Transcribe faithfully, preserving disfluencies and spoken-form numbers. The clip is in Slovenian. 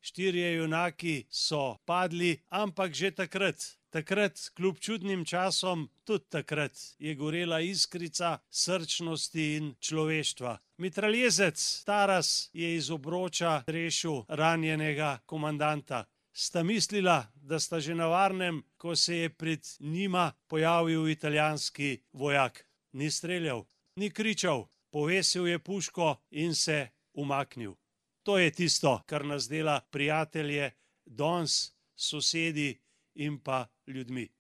štirje junaki so padli, ampak že takrat, takrat, kljub čudnim časom, tudi takrat je gorela iskrica srčnosti in človeštva. Mitraljezec Taras je iz obroča rešil ranjenega komandanta. Sta mislila, da sta že na varnem, ko se je pred njima pojavil italijanski vojak. Ni streljal, ni kričal, povesil je puško in se umaknil. To je tisto, kar nas dela prijatelje danes, sosedi in pa ljudmi.